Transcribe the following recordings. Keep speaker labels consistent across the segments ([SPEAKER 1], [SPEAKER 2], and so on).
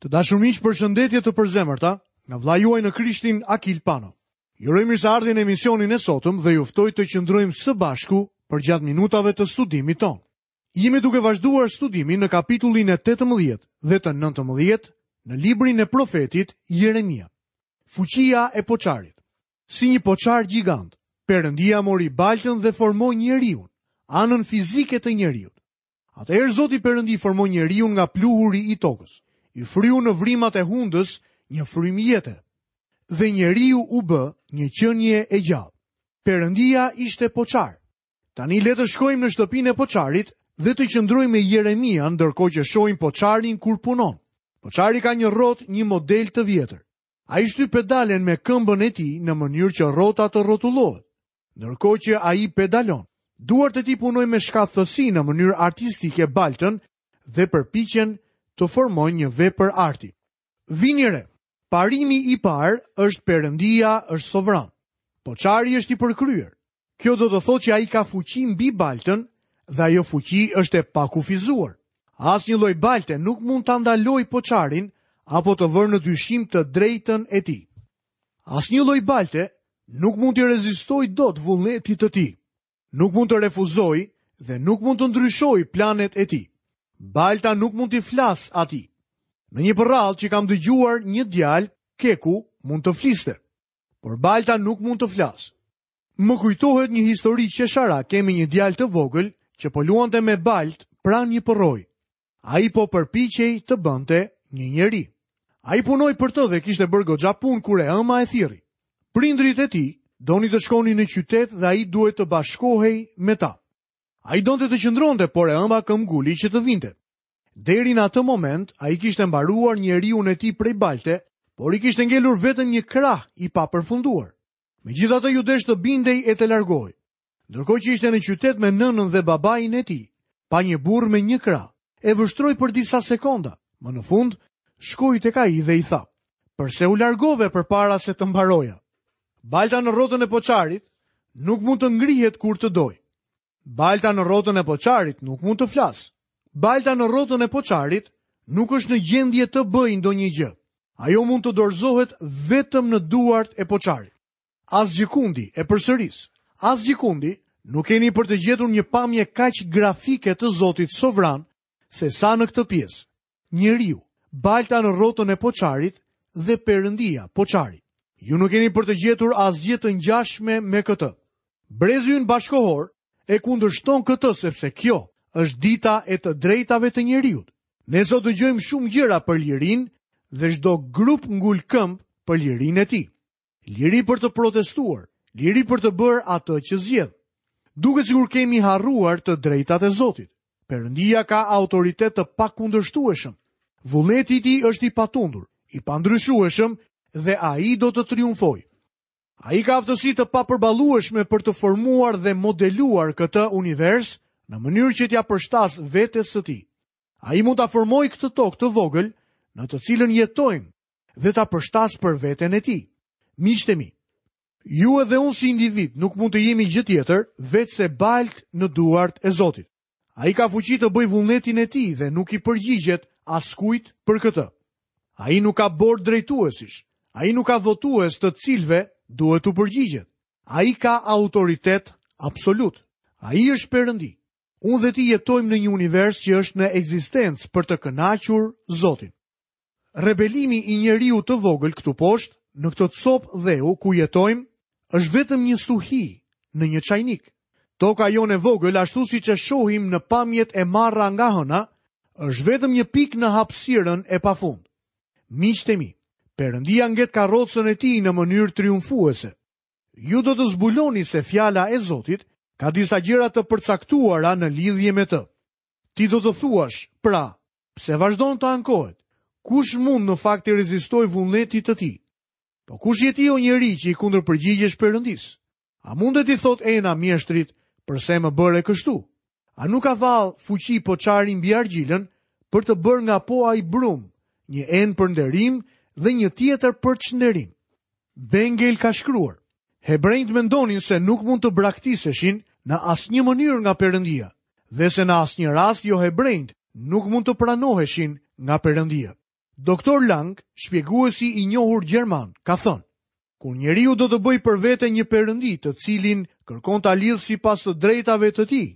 [SPEAKER 1] Të dashur miq, përshëndetje të përzemërta nga vëllai juaj në Krishtin Akil Pano. Ju uroj mirëseardhjen në emisionin e sotëm dhe ju ftoj të qëndrojmë së bashku përgjatë minutave të studimit tonë. Jemi duke vazhduar studimin në kapitullin e 18 dhe të 19 në librin e profetit Jeremia. Fuqia e poçarit. Si një poçar gjigant, Perëndia mori baltën dhe formoi njeriun, anën fizike të njeriut. Atëherë Zoti Perëndi formoi njeriun nga pluhuri i tokës. I fryu në vrimat e hundës një frymë jete. Dhe njeriu u bë një qenie e gjallë. Perëndia ishte poçar. Tani le të shkojmë në shtëpinë e poçarit dhe të qëndrojmë me Jeremian ndërkohë që shohim poçarin kur punon. Poçari ka një rrotë, një model të vjetër. Ai shtyp pedalen me këmbën e tij në mënyrë që rrota të rrotullohet. Ndërkohë që ai pedalon, duart e tij punojnë me shkathtësi në mënyrë artistike baltën dhe përpiqen të formojnë një vepër arti. Vini re, parimi i parë është Perëndia është sovran. Poçari është i përkryer. Kjo do të thotë që ai ka fuqi mbi baltën dhe ajo fuqi është e pakufizuar. Asnjë lloj balte nuk mund ta ndalojë poçarin apo të vërë në dyshim të drejtën e tij. Asnjë lloj balte nuk mund t'i rezistojë dot vullnetit të tij. Nuk mund të refuzojë dhe nuk mund të ndryshojë planet e tij. Balta nuk mund t'i flasë atij. Në një përrallë që kam dëgjuar një djalë, keku mund të fliste, por balta nuk mund të flasë. Më kujtohet një histori qesharake me një djalë të vogël që po luante me baltë pranë një përroi. Ai po përpiqej të bënte një njeri. Ai punoi për të dhe kishte bërë goxha punë kur e ëma e thirri. Prindërit e tij donin të shkonin në qytet dhe ai duhej të bashkohej me ta. Ai donte të qëndronte, por e ëma këmbguli që të vinte. Deri në atë moment, ai kishte mbaruar njeriun e tij prej balte, por i kishte ngelur vetëm një krah i papërfunduar. Megjithatë iu desh të bindej e të largohej. Ndërkohë që ishte në qytet me nënën dhe babain e tij, pa një burrë me një krah, e vështroi për disa sekonda. Më në fund, shkoi tek ai dhe i tha: "Përse u largove përpara se të mbaroja?" Balta në rrotën e poçarit nuk mund të ngrihet kur të dojë. Balta në rrotën e poçarit nuk mund të flasë. Balta në rrotën e poçarit nuk është në gjendje të bëjë ndonjë gjë. Ajo mund të dorëzohet vetëm në duart e poçarit. Asgjëkundi, e përsëris, asgjëkundi nuk keni për të gjetur një pamje kaq grafike të Zotit sovran se sa në këtë pjesë. Njeriu, balta në rrotën e poçarit dhe Perëndia, poçari. Ju nuk keni për të gjetur asgjë të ngjashme me këtë. Brezi ynë bashkëkohor e kundërshton këtë sepse kjo është dita e të drejtave të njeriut. Ne sot dëgjojmë shumë gjëra për lirinë dhe çdo grup ngul këmbë për lirinë e tij. Liri për të protestuar, liri për të bërë atë që zgjedh. Duket sikur kemi harruar të drejtat e Zotit. Perëndia ka autoritet të pakundërshtueshëm. Vullneti i tij është i patundur, i pandryshueshëm dhe ai do të triumfojë. Ai ka aftësi të papërballueshme për të formuar dhe modeluar këtë univers në mënyrë që t'ia përshtasë vetes së tij. Ai mund ta formojë këtë tokë të vogël në të cilën jetojmë dhe ta përshtasë për veten e tij. Miqtë e mi, ju edhe unë si individ nuk mund të jemi gjë tjetër veçse baltë në duart e Zotit. Ai ka fuqi të bëjë vullnetin e tij dhe nuk i përgjigjet askujt për këtë. Ai nuk ka bord drejtuesish, ai nuk ka votues të cilëve duhet t'u përgjigjet. Ai ka autoritet absolut. Ai është Perëndi. Unë dhe ti jetojmë në një univers që është në ekzistencë për të kënaqur Zotin. Rebelimi i njeriut të vogël këtu poshtë, në këtë copë dheu ku jetojmë, është vetëm një stuhi në një çajnik. Toka jonë e vogël, ashtu siç e shohim në pamjet e marra nga hëna, është vetëm një pikë në hapësirën e pafund. Miqtë e mi, Perëndia nget karrocën e tij në mënyrë triumfuese. Ju do të zbuloni se fjala e Zotit ka disa gjëra të përcaktuara në lidhje me të. Ti do të thuash, pra, Pse vazhdon të ankohet? Kush mund në fakt t'i rezistojë vullnetit të tij? Po kush je ti o njeri që i kundërpërgjigjesh Perëndisë? A mundet t'i thotë ena mjeshtrit, përse më bëre kështu? A nuk ka vallë fuqi poçari mbi argjilën për të bërë nga po ai brumë, një enë për nderim dhe një tjetër për çnderim? Bengel ka shkruar, Hebrenjtë mendonin se nuk mund të braktiseshin në asnjë mënyrë nga Perëndia dhe se në asnjë rast johebrenjtë nuk mund të pranoheshin nga Perëndia. Doktor Lang, shpjeguesi i njohur gjerman, ka thënë: Kur njeriu do të bëjë për vete një perëndi të cilin kërkon ta lidhë sipas të drejtave të tij,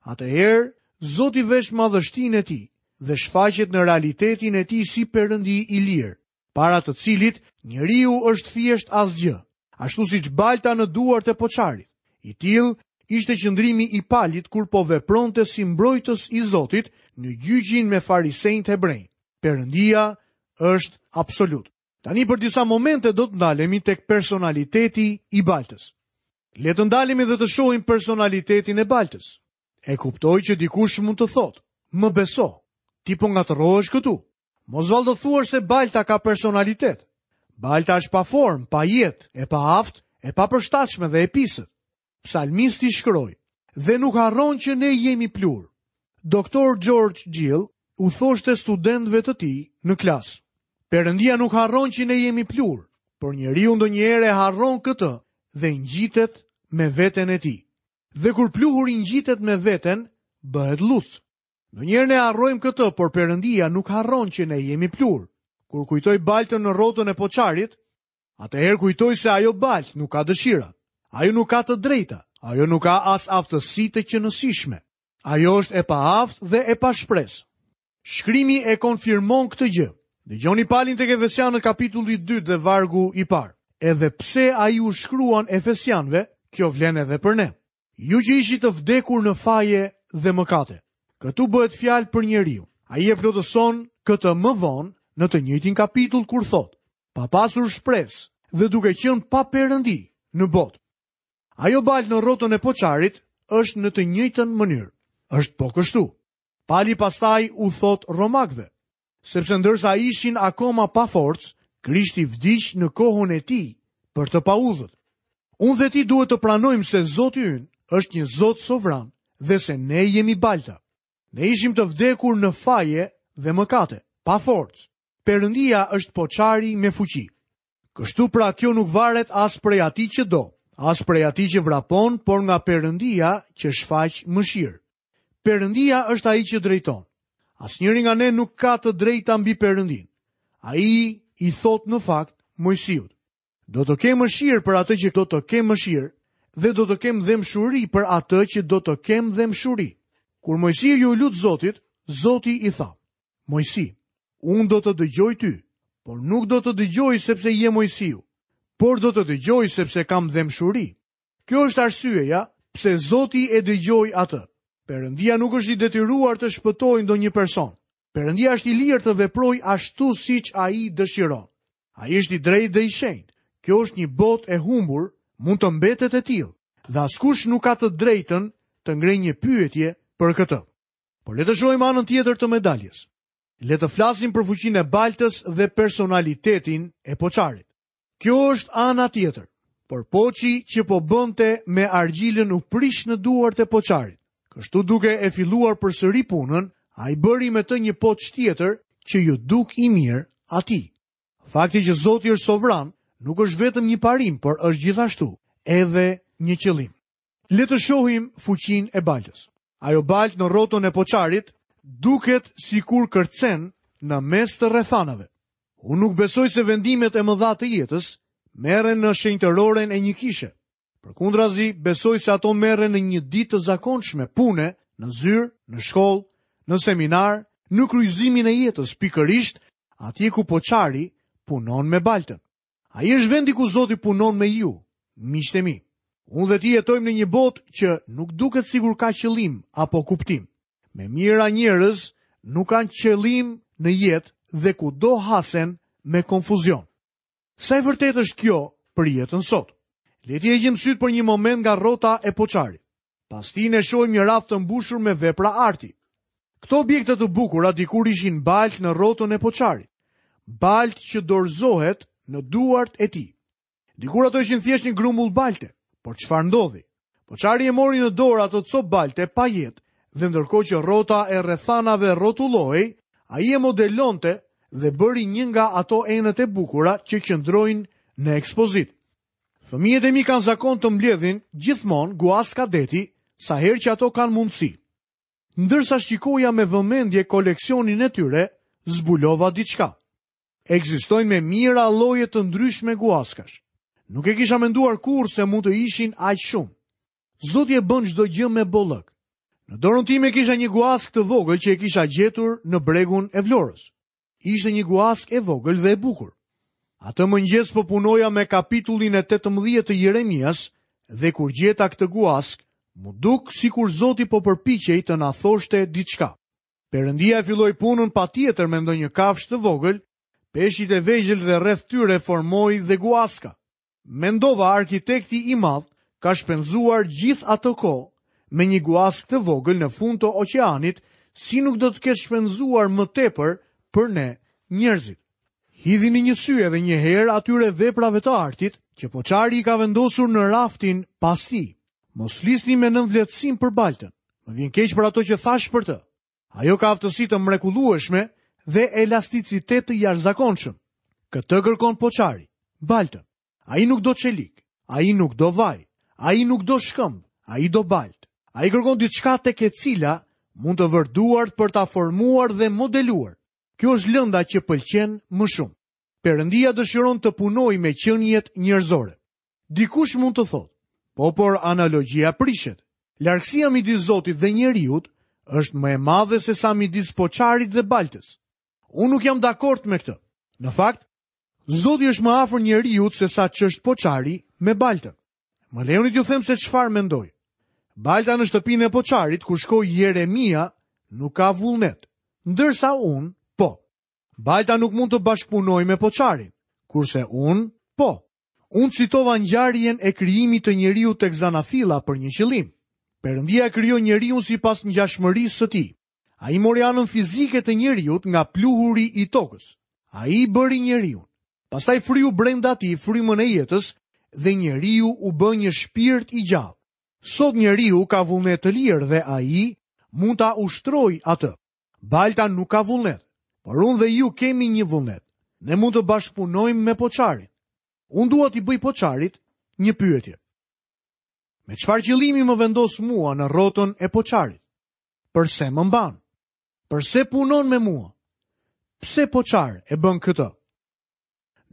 [SPEAKER 1] atëherë Zoti vesh madhështinë e tij dhe shfaqet në realitetin e tij si perëndi i lirë, para të cilit njeriu është thjesht asgjë, ashtu siç balta në duart e poçarit. I tillë ishte qëndrimi i Palit kur po vepronte si mbrojtës i Zotit në gjyqin me farisenjtë hebrenj. Perëndia është absolut. Tani për disa momente do të ndalemi tek personaliteti i baltës. Le të ndalemi dhe të shohim personalitetin e baltës. E kuptoj që dikush mund të thotë, më beso, ti po ngatërrohesh këtu. Mos vallë do thuash se balta ka personalitet. Balta është pa formë, pa jetë, e paaftë, e papërshtatshme dhe e pisët. Psalmisti shkroi, dhe nuk harron që ne jemi pluhur. Doktor George Gill u thoshte studentëve të tij në klasë. Perëndia nuk harron që ne jemi pluhur, por njeriu ndonjëherë e harron këtë dhe ngjitet me veten e tij. Dhe kur pluhuri ngjitet me veten, bëhet llucë. Ndonjëherë ne harrojmë këtë, por Perëndia nuk harron që ne jemi pluhur. Kur kujtoj baltën në rrotën e poçarit, atëherë kujtoj se ajo baltë nuk ka dëshira. Ajo nuk ka të drejta, ajo nuk ka as aftësi të qenësishme. Ajo është e paaftë dhe e pashpresë. Shkrimi e konfirmon këtë gjë. Dëgjoni Palin tek Efesianët kapitulli 2 dhe vargu i parë. Edhe pse ai u shkruan Efesianëve, kjo vlen edhe për ne. Ju që ishit të vdekur në faje dhe mëkate. Këtu bëhet fjalë për njeriun. Ai e plotëson këtë më vonë në të njëjtin kapitull kur thotë, pa pasur shpresë dhe duke qenë pa perëndi në botë. Ajo baltë në rrotën e poçarit është në të njëjtën mënyrë. Është po kështu. Pali pastaj u thotë romakëve, sepse ndërsa ishin akoma pa forcë, Krishti vdiq në kohën e tij për të paudhët. Unë dhe ti duhet të pranojmë se Zoti ynë është një Zot sovran dhe se ne jemi balta. Ne ishim të vdekur në faje dhe mëkate, pa forcë. Perëndia është poçari me fuqi. Kështu pra kjo nuk varet as prej atij që do, as prej atij që vrapon, por nga Perëndia që shfaq mëshirë. Perëndia është ai që drejton. Asnjëri nga ne nuk ka të drejta mbi Perëndinë. Ai i thotë në fakt Moisiut: Do të kem mëshirë për atë që do të kem mëshirë dhe do të kem dhembshuri për atë që do të kem dhembshuri. Kur Moisiu iu lut Zotit, Zoti i tha: Moisi, unë do të dëgjoj ty, por nuk do të dëgjoj sepse je Moisiu, por do të dëgjoj sepse kam dhembshuri. Kjo është arsyeja pse Zoti e dëgjoi atë. Perëndia nuk është i detyruar të shpëtojë ndonjë person. Perëndia është i lirë të veprojë ashtu siç ai dëshiron. Ai është i drejtë dhe i shenjtë. Kjo është një botë e humbur, mund të mbetet e tillë, dhe askush nuk ka të drejtën të ngrejë një pyetje për këtë. Por le të shohim anën tjetër të medaljes. Le të flasim për fuqinë e baltës dhe personalitetin e poçarit. Kjo është ana tjetër. Por poçi që po bënte me argjilën u prish në duart e poçarit. Kështu duke e filluar përsëri punën, ai bëri me të një poç tjetër që iu duk i mirë atij. Fakti që Zoti është sovran nuk është vetëm një parim, por është gjithashtu edhe një qëllim. Le të shohim fuqinë e baltës. Ajo baltë në rrotën e poçarit duket sikur kërcen në mes të rrethanave. Unë nuk besoj se vendimet e mëdha të jetës merren në shenjtëroren e një kishe. Përkundrazi, besoj se ato merren në një ditë të zakonshme pune, në zyrë, në shkollë, në seminar, në kryqëzimin e jetës, pikërisht atje ku poçari punon me baltën. Ai është vendi ku Zoti punon me ju, miqtë e mi. Unë dhe ti jetojmë në një botë që nuk duket sikur ka qëllim apo kuptim. Me mijëra njerëz nuk kanë qëllim në jetë dhe kudo hasen me konfuzion. Sa e vërtetë është kjo për jetën sot? Le t'i heqim sytë për një moment nga rrota e poçarit. Pas tij ne shohim një raft të mbushur me vepra arti. Këto objekte të bukura dikur ishin baltë në rrotën e poçarit. Baltë që dorëzohet në duart e tij. Dikur ato ishin thjesht një grumbull balte, por çfarë ndodhi? Poçari e mori në dorë atë copë balte pa jetë dhe ndërkohë që rrota e rrethanave rrotullohej, ai e modelonte dhe bëri një nga ato enët e bukura që qëndrojnë në ekspozitë. Fëmijët e mi kanë zakon të mbledhin gjithmonë guaska deti sa herë që ato kanë mundësi. Ndërsa shikoja me vëmendje koleksionin e tyre, zbulova diçka. Ekzistojnë me mijëra lloje të ndryshme guaskash. Nuk e kisha menduar kurrë se mund të ishin aq shumë. Zoti e bën çdo gjë me bollëk. Në dorën time kisha një guaskë të vogël që e kisha gjetur në bregun e Vlorës. Ishte një guaskë e vogël dhe e bukur. Atë mëngjes po punoja me kapitullin e 18 të Jeremias dhe kur gjeta këtë guaskë, m'u duk sikur Zoti po përpiqej të na thoshte diçka. Perëndia e filloi punën patjetër me ndonjë kafshë të vogël, peshqit e vegjël dhe rreth tyre formoi dhe guaska. Mendova arkitekti i madh ka shpenzuar gjithë atë kohë me një guaskë të vogël në fund të oqeanit, si nuk do të ketë shpenzuar më tepër për ne njerëzit. Hidhini një sy edhe një herë atyre veprave të artit që poçari i ka vendosur në raftin pas tij. Mos flisni me nënvlerësim për baltën. Më vjen keq për ato që thashë për të. Ajo ka aftësi të mrekullueshme dhe elasticitet të jashtëzakonshëm. Këtë kërkon poçari, baltën. Ai nuk do çelik, ai nuk do vaj, ai nuk do shkëmb, ai do baltë. Ai kërkon diçka tek e cila mund të vërë duart për ta formuar dhe modeluar. Kjo është lënda që pëlqen më shumë. Perëndia dëshiron të punojë me qeniet njerëzore. Dikush mund të thotë, po por analogjia prishet. Largësia midis Zotit dhe njeriut është më e madhe sesa midis poçarit dhe baltës. Unë nuk jam dakord me këtë. Në fakt, Zoti është më afër njeriut sesa ç'është poçari me baltën. Më lejoni t'ju them se çfarë mendoj. Balta në shtëpinë e poçarit ku shkoi Jeremia nuk ka vullnet, ndërsa unë po. Balta nuk mund të bashkëpunojë me poçarin, kurse unë po. Unë citova ngjarjen e krijimit të njeriut tek zanafilla për një qëllim. Perëndia e krijoi njeriun sipas ngjashmërisë së tij. Ai mori anën fizike të njeriut nga pluhuri i tokës. Ai bëri njeriun. Pastaj fryu brenda tij frymën e jetës dhe njeriu u bë një shpirt i gjallë. Sot njeriu ka vullnet të lirë dhe ai mund ta ushtrojë atë. Balta nuk ka vullnet, por unë dhe ju kemi një vullnet. Ne mund të bashkëpunojmë me poçarin. Unë dua t'i bëj poçarit një pyetje. Me çfarë qëllimi më vendos mua në rrotën e poçarit? Përse më mban? Përse punon me mua? Pse poçar e bën këtë?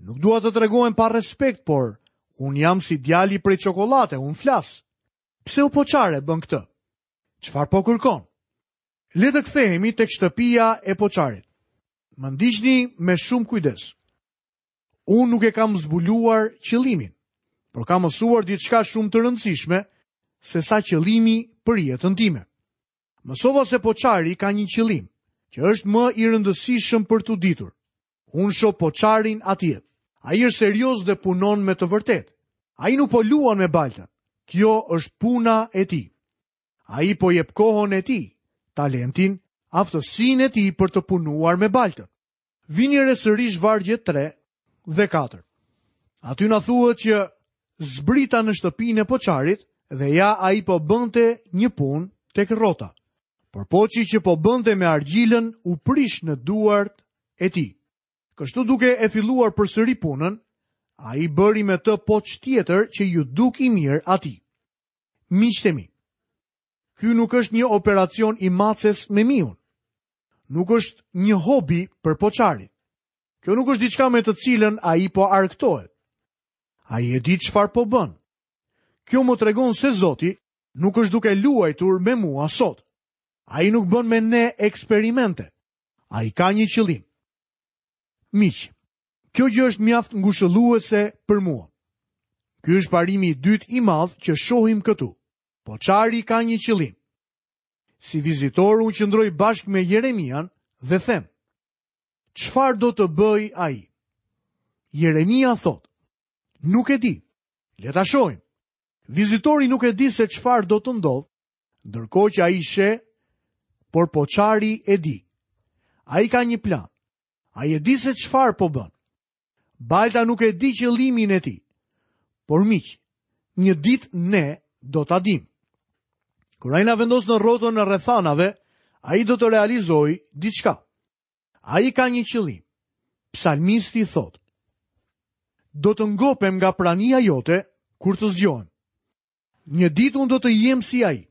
[SPEAKER 1] Nuk dua të tregohem pa respekt, por unë jam si djali prej çokollate, unë flas. Pse o poçar e bën këtë? Çfarë po kërkon? Le të kthehemi tek shtëpia e poçarit. Më ndiqni me shumë kujdes. Unë nuk e kam zbuluar qëllimin, por kam mësuar diçka shumë të rëndësishme sesa qëllimi për jetën time. Mësova se poçari ka një qëllim, që është më i rëndësishëm për t'u ditur. Unë shoh poçarin atje. Ai është serioz dhe punon me të vërtetë. Ai nuk po luan me baltën. Kjo është puna e tij. Ai po jep kohën e tij, talentin, aftësinë e tij për të punuar me baltën. Vini re sërish vargjet 3 dhe 4. Aty na thuhet që zbrita në shtëpinë e poçarit dhe ja ai po bënte një punë tek rrota. Por poçi që po bënte me argjilën u prish në duart e tij. Kështu duke e filluar përsëri punën, ai bëri me të poç tjetër që iu duk i mirë atij. Miqtë e mi, ky nuk është një operacion i maces me miun. Nuk është një hobi për poçarin. Kjo nuk është diçka me të cilën ai po argëtohet. Ai e di çfarë po bën. Kjo më tregon se Zoti nuk është duke luajtur me mua sot. Ai nuk bën me ne eksperimente. Ai ka një qëllim. Miq, Kjo gjë është mjaft ngushëlluese për mua. Ky është parimi i dytë i madh që shohim këtu. Poçari ka një qëllim. Si vizitor unë qëndroj bashkë me Jeremian dhe them: Çfarë do të bëjë ai? Jeremia thotë: Nuk e di. Le ta shohim. Vizitori nuk e di se çfarë do të ndodhë, ndërkohë që ai sheh, por poçari e di. Ai ka një plan. Ai e di se çfarë po bën. Balta nuk e di qëllimin e tij. Por miq, një ditë ne do ta dimë. Kur ai na vendos në rrotën e rrethanave, ai do të realizojë diçka. Ai ka një qëllim. Psalmisti thotë: Do të ngopem nga prania jote kur të zgjohem. Një ditë unë do të jem si ai.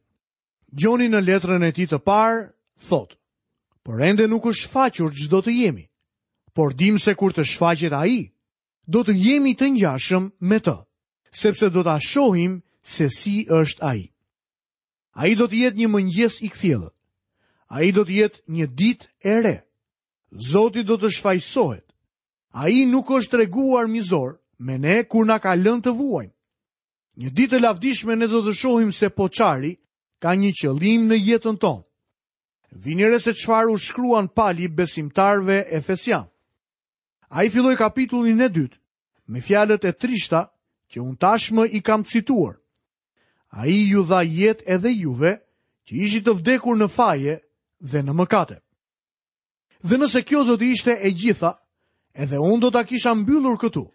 [SPEAKER 1] Gjoni në letrën e tij të parë thotë: Por ende nuk është shfaqur ç'do të jemi. Por dimë se kur të shfaqet ai, do të jemi të ngjashëm me të, sepse do ta shohim se si është ai. Ai do të jetë një mëngjes i kthjellët. Ai do të jetë një ditë e re. Zoti do të shfajësohet. Ai nuk është treguar mizor me ne kur na ka lënë të vuajmë. Një ditë të lavdishme ne do të shohim se poçari ka një qëllim në jetën tonë. Vini re se çfarë u shkruan Pali besimtarëve efesianë. Ai filloi kapitullin e dytë me fjalët e trishta që unë tashmë i kam cituar. Ai ju dha jetë edhe juve që ishit të vdekur në faje dhe në mëkate. Dhe nëse kjo do të ishte e gjitha, edhe unë do ta kisha mbyllur këtu.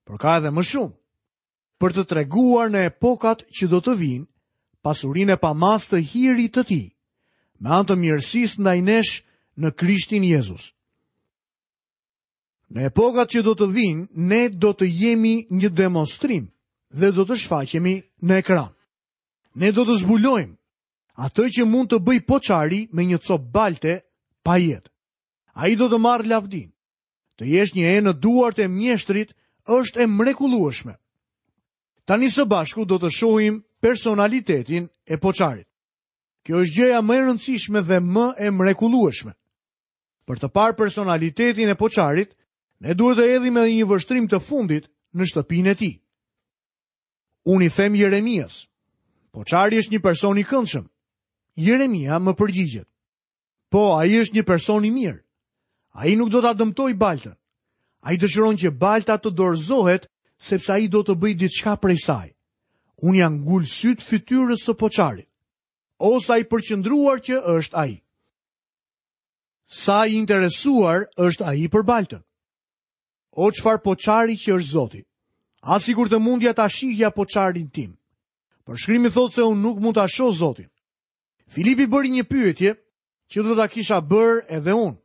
[SPEAKER 1] Por ka edhe më shumë. Për të treguar në epokat që do të vijnë, pasurinë e pamasë të hirit të tij, me anë të mirësisë ndaj nesh në Krishtin Jezus. Në epokat që do të vijnë, ne do të jemi një demonstrim dhe do të shfaqemi në ekran. Ne do të zbulojmë atë që mund të bëjë poçari me një copë balte pa jetë. Ai do të marrë lavdinë. Të jesh një enë në duart e mjeshtrit është e mrekullueshme. Tani së bashku do të shohim personalitetin e poçarit. Kjo është gjëja më e rëndësishme dhe më e mrekullueshme. Për të parë personalitetin e poçarit, ne duhet të hedhim edhe një vështrim të fundit në shtëpinë e tij. Unë i them Jeremias, poçari është një person i këndshëm. Jeremia më përgjigjet. Po, ai është një person i mirë. Ai nuk do ta dëmtojë baltën. Ai dëshiron që balta të dorëzohet sepse ai do të bëjë diçka prej saj. Unë ia ngul sytë fytyrës së poçarit. O sa i përqendruar që është ai. Sa i interesuar është ai për baltën. O çfarë poçari që është Zoti. Ah sikur të mundja ta shihja poçarin tim. Por shkrimi thotë se unë nuk mund ta shoh Zotin. Filipi bëri një pyetje që do ta kisha bërë edhe unë.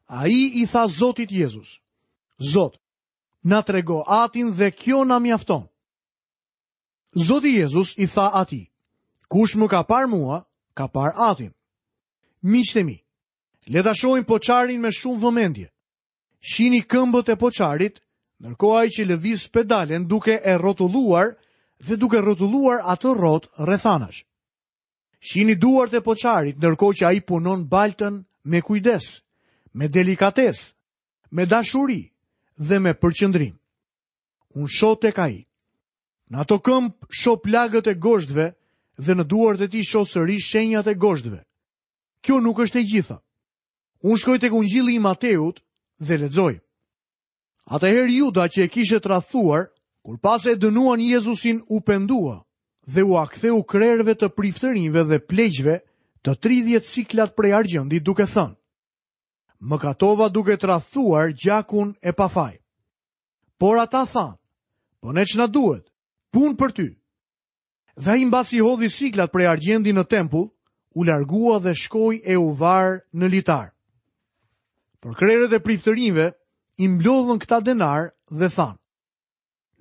[SPEAKER 1] Ai i tha Zotit Jezus, Zot, na trego atin dhe kjo na mjafton. Zoti Jezus i tha atij, kush më ka parë mua, ka parë atin. Miqtë e mi, le ta shohim poçarin me shumë vëmendje. Shihni këmbët e poçarit, ndërkohë ai që lëviz pedalen duke e rrotulluar dhe duke rrotulluar atë rrotë rrethanash. Shihni duart e poçarit, ndërkohë që ai punon baltën me kujdes, me delikatesë, me dashuri dhe me përqendrim. Unë shoh tek ai. Në ato këmbë shoh plagët e gozhdëve dhe në duart e tij shoh sërish shenjat e gozhdëve. Kjo nuk është e gjitha. Unë shkoj tek ungjilli i Mateut dhe lexoj. Atëherë Juda që e kishte tradhtuar, kur pa se e dënuan Jezusin u pendua dhe ua ktheu krerëve të priftërinjve dhe pleqve të 30 siklat prej argjendi duke thënë: Mëkatova duke tradhtuar gjakun e pafaj. Por ata thanë, po ne ç'na duhet, punë për ty. Dhe ai mbasi hodhi siklat prej argjendi në tempull, u largua dhe shkoi e u var në litar. Por krerët e priftërinjve i mblodhën këta denarë dhe thanë,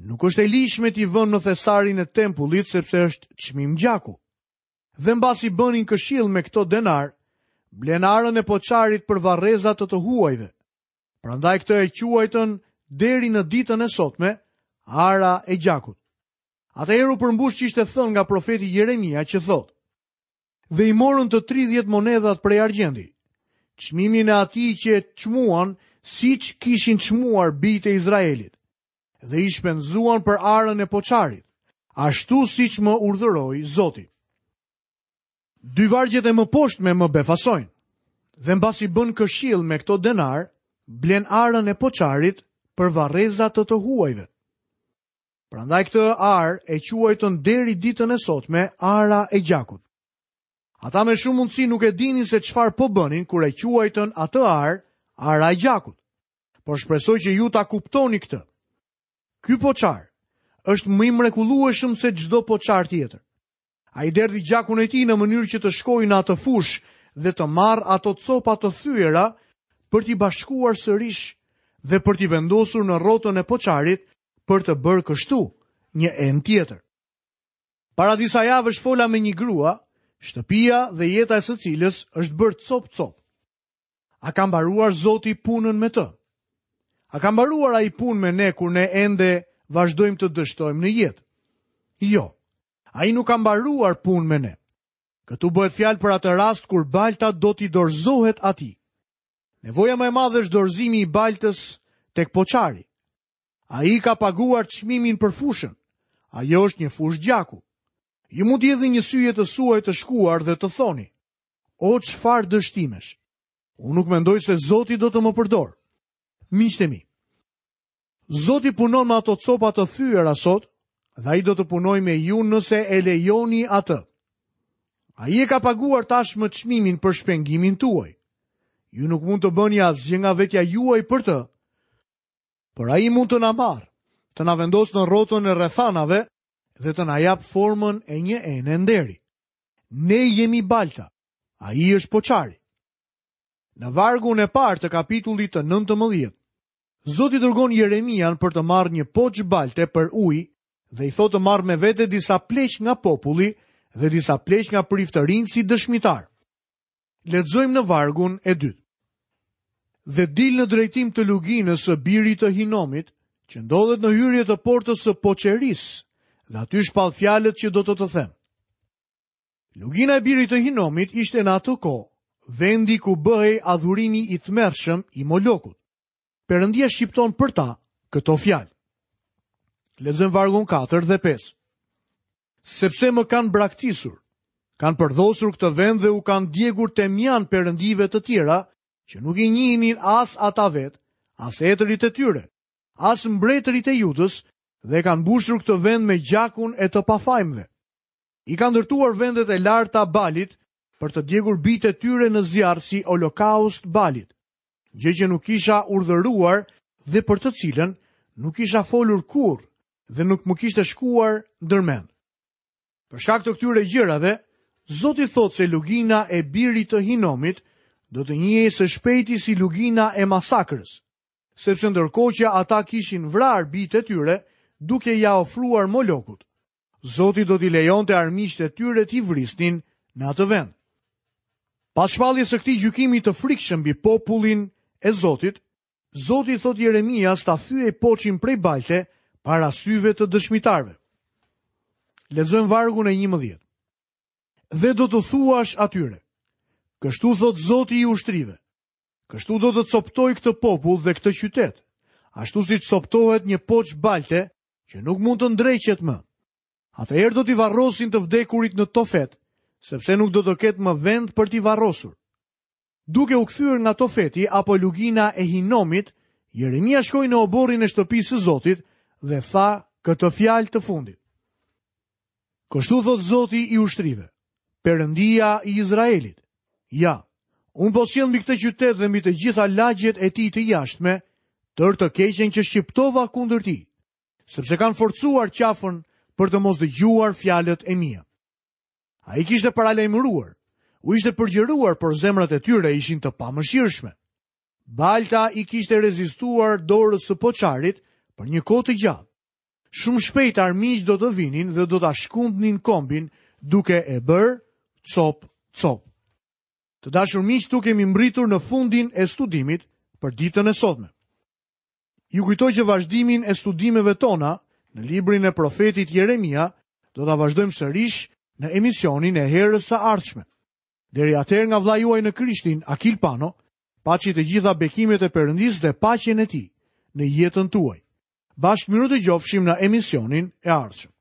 [SPEAKER 1] nuk është e ligjshme t'i vëmë në thesarin e tempullit sepse është çmim gjaku. Dhe mbasi bënin këshill me këto denarë, blenë arën e poçarit për varreza të të huajve. Prandaj këtë e quajtën deri në ditën e sotme ara e gjakut. Atëherë u përmbush ç'ishte thënë nga profeti Jeremia që thotë: Dhe i morën të 30 monedhat prej argjendi, çmimin e atij që e çmuan siç kishin çmuar bijtë e Izraelit, dhe i shpenzuan për arën e poçarit, ashtu siç më urdhëroi Zoti. Dy vargjet e mëposhtme më befasojnë. Dhe mbasi bënë këshill me këto denarë, blenë arën e poçarit për varreza të të huajve. Prandaj këtë arë e quajtën deri ditën e sotme ara e gjakut. Ata me shumë mundësi nuk e dinin se çfarë po bënin kur e quajtën atë arë ara e gjakut. Por shpresoj që ju ta kuptoni këtë. Ky poçar është më i mrekullueshëm se çdo poçar tjetër. Ai derdhi gjakun e tij në mënyrë që të shkojë në atë fushë dhe të marrë ato copa të thyera për t'i bashkuar sërish dhe për t'i vendosur në rrotën e poçarit për të bërë kështu një enë tjetër. Para disa javësh fola me një grua, shtëpia dhe jeta e së cilës është bërë copë-copë. A ka mbaruar Zoti punën me të? A ka mbaruar ai punë me ne kur ne ende vazhdojmë të dështojmë në jetë? Jo. Ai nuk ka mbaruar punë me ne. Këtu bëhet fjalë për atë rast kur balta do t'i dorëzohet atij. Nevoja më e madhe është dorëzimi i baltës tek poçari. Ai ka paguar çmimin për fushën. Ajo është një fushë gjaku. Ju mund t'i hidhni një sy jetës suaj të shkuar dhe të thoni: O çfarë dështimesh! Unë nuk mendoj se Zoti do të më përdorë. Miqtë e mi, Zoti punon me ato copa të thyera sot dhe ai do të punojë me ju nëse e lejoni atë. Ai e ka paguar tashmë çmimin për shpengimin tuaj. Ju nuk mund të bëni asgjë nga vetja juaj për të, por ai mund të na marrë, të na vendosë në rrotën e rrethanave dhe të na japë formën e një ene nderi. Ne jemi balta, ai është poçari. Në vargun e parë të kapitullit të 19, Zoti dërgon Jeremian për të marrë një poç balte për ujë dhe i thotë të marrë me vete disa pleq nga populli dhe disa pleq nga priftërinjtë si dëshmitarë. Lexojmë në vargun e dytë. Dhe dil në drejtim të luginës së birit të Hinomit, që ndodhet në hyrje të portës së poçerisë, dhe aty shpall fjalët që do të të them. Lugina e birit të Hinomit ishte në atë kohë vendi ku bëhej adhurimi i tmerrshëm i Molokut. Perëndia shqipton për ta këto fjalë. Lexojmë vargun 4 dhe 5. Sepse më kanë braktisur, kanë përdhosur këtë vend dhe u kanë djegur temjan perëndive të tjera, që nuk i njihnin as ata vetë, as etërit e tyre, as mbretërit e Judës, dhe kanë mbushur këtë vend me gjakun e të pafajmëve. I kanë ndërtuar vendet e larta Balit për të djegur bijtë e tyre në zjarr si holokaust Balit, gjë që nuk kisha urdhëruar dhe për të cilën nuk kisha folur kurrë dhe nuk më kishte shkuar ndër mend. Për shkak të këtyre gjërave, Zoti thotë se lugina e birit të Hinomit do të njihej së shpejti si lugina e masakrës, sepse ndërkohë që ata kishin vrarë bijtë e tyre duke ia ofruar Molokut, Zoti do t'i lejonte armiqtë e tyre t'i vrisnin në atë vend. Pas shpalljes së këtij gjykimi të frikshëm mbi popullin e Zotit, Zoti i thotë Jeremias ta thyejë poçin prej balte para syve të dëshmitarëve. Lexojmë vargun e 11. Dhe do t'u thuash atyre: Kështu thotë Zoti i ushtrive. Kështu do të copëtoj këtë popull dhe këtë qytet, ashtu siç copëtohet një poç balte që nuk mund të ndreqet më. Atëherë do t'i varrosin të vdekurit në Tofet, sepse nuk do të ketë më vend për t'i varrosur. Duke u kthyer nga Tofeti apo lugina e Hinomit, Jeremia shkoi në oborrin e shtëpisë së Zotit dhe tha këtë fjalë të fundit. Kështu thotë Zoti i ushtrive, Perëndia i Izraelit. Ja, unë po sjell mbi këtë qytet dhe mbi të gjitha lagjet e tij të jashtme, tërë të keqen që shqiptova kundër tij, sepse kanë forcuar qafën për të mos dëgjuar fjalët e mia. Ai kishte paralajmëruar, u ishte përgjëruar, por zemrat e tyre ishin të pamëshirshme. Balta i kishte rezistuar dorës së poçarit për një kohë të gjatë. Shumë shpejt armiqtë do të vinin dhe do ta shkundnin kombin duke e bërë copë copë. Të dashur miq, këtu kemi mbërritur në fundin e studimit për ditën e sotme. Ju kujtoj që vazhdimin e studimeve tona në librin e profetit Jeremia do ta vazhdojmë sërish në emisionin e herës së ardhshme. Deri atëherë nga vëllai juaj në Krishtin, Akil Pano, paçi të gjitha bekimet e Perëndisë dhe paqen e tij në jetën tuaj. Bashkë mirudëgjofshim në emisionin e ardhshëm.